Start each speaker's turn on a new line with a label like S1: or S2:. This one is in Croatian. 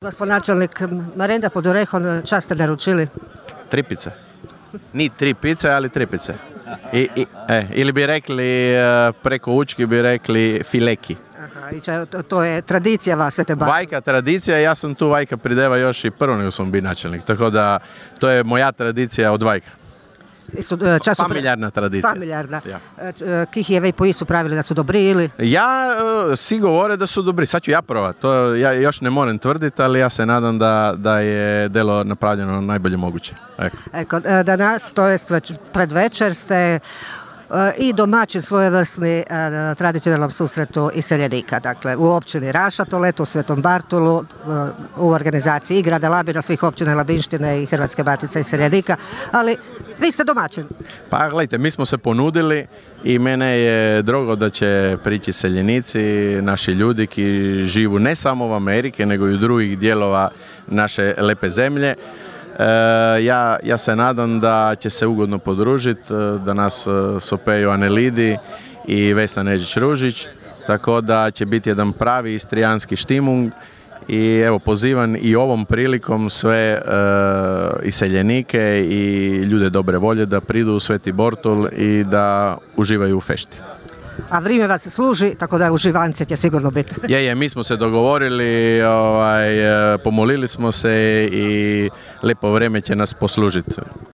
S1: Gospod načelnik, Marenda pod orehom, čas ste naručili?
S2: 3 pice. Ni 3 pice, ali 3 pice. Ili bi rekli, preko Učki bi rekli fileki.
S1: Aha, i to je tradicija vas, Svete Bake.
S2: Vajka tradicija, ja sam tu Vajka prideva još i prvo nego sam bio načelnik, tako da to je moja tradicija od Vajka. Familijarna tradicija.
S1: Familijarna. Ja. Kih je vej po su pravili da su dobri ili?
S2: Svi govore da su dobri, sad ću ja provat, to ja još ne moram tvrditi, ali ja se nadam da je delo napravljeno najbolje moguće.
S1: Eko, danas, to jest već pred večer, ste i domaćin svojevrsni tradicionalnom susretu iseljenika. Dakle, u općini Rašatolet, u Svetom Bartolu, u organizaciji i grada Labina, svih općina Labinštine i Hrvatske matice iseljenika, ali vi ste domaćin.
S2: Pa gledajte, mi smo se ponudili i mene je drago da će prići seljenici, naši ljudi ki živu ne samo u Amerike, nego i u drugih dijelova naše lepe zemlje. Ja se nadam da će se ugodno podružiti, da nas sopeju Anelidi i Vesna Neđić-Ružić, tako da će biti jedan pravi istrijanski štimung i evo pozivam i ovom prilikom sve iseljenike i ljude dobre volje da pridu u Sveti Bortol i da uživaju u fešti.
S1: A vrijeme vas služi, tako da uživance će sigurno biti.
S2: Mi smo se dogovorili, pomolili smo se i lepo vrijeme će nas poslužiti.